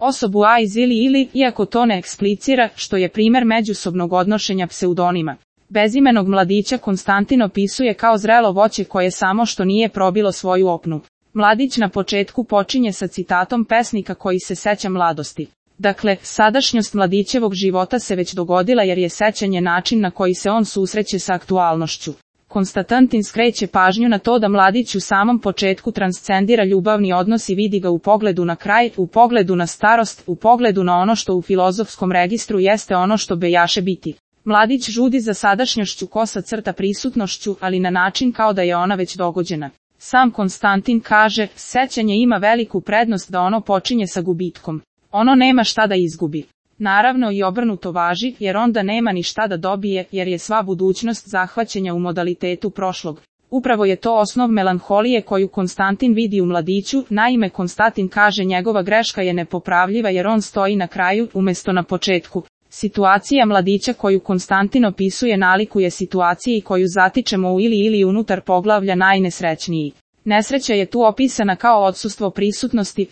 osobu A iz ili, iako to ne eksplicira, što je primer međusobnog odnošenja pseudonima. Bezimenog mladića Konstantin opisuje kao zrelo voće koje samo što nije probilo svoju opnu. Mladić na početku počinje sa citatom pesnika koji se seća mladosti. Dakle, sadašnjost mladićevog života se već dogodila jer je sećanje način na koji se on susreće sa aktualnošću. Konstantin skreće pažnju na to da mladić u samom početku transcendira ljubavni odnos i vidi ga u pogledu na kraj, u pogledu na starost, u pogledu na ono što u filozofskom registru jeste ono što bejaše biti. Mladić žudi za sadašnjošću kosa crta prisutnošću, ali na način kao da je ona već dogođena. Sam Konstantin kaže, sećanje ima veliku prednost da ono počinje sa gubitkom. Ono nema šta da izgubi. Naravno i obrnuto važi, jer onda nema ni šta da dobije, jer je sva budućnost zahvaćenja u modalitetu prošlog. Upravo je to osnov melanholije koju Konstantin vidi u mladiću, naime Konstantin kaže njegova greška je nepopravljiva jer on stoji na kraju, umjesto na početku. Situacija mladića koju Konstantin opisuje nalikuje situaciji koju zatičemo u ili unutar poglavlja najnesrećniji. Nesreća je tu opisana kao odsustvo prisutnosti,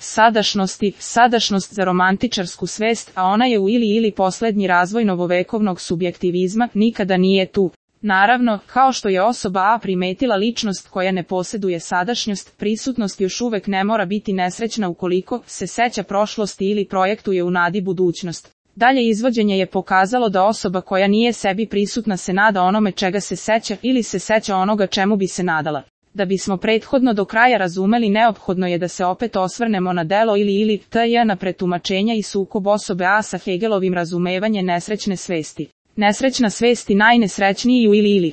sadašnost za romantičarsku svest, a ona je u ili posljednji razvoj novovekovnog subjektivizma, nikada nije tu. Naravno, kao što je osoba A primetila ličnost koja ne posjeduje sadašnjost, prisutnost još uvek ne mora biti nesrećna ukoliko se seća prošlosti ili projektuje u nadi budućnost. Dalje izvođenje je pokazalo da osoba koja nije sebi prisutna se nada onome čega se seća ili se seća onoga čemu bi se nadala. Da bismo prethodno do kraja razumeli neophodno je da se opet osvrnemo na delo ili na pretumačenja i sukob osobe A sa Hegelovim razumevanje nesrećne svesti. Nesrećna svesti najnesrećniji u ili.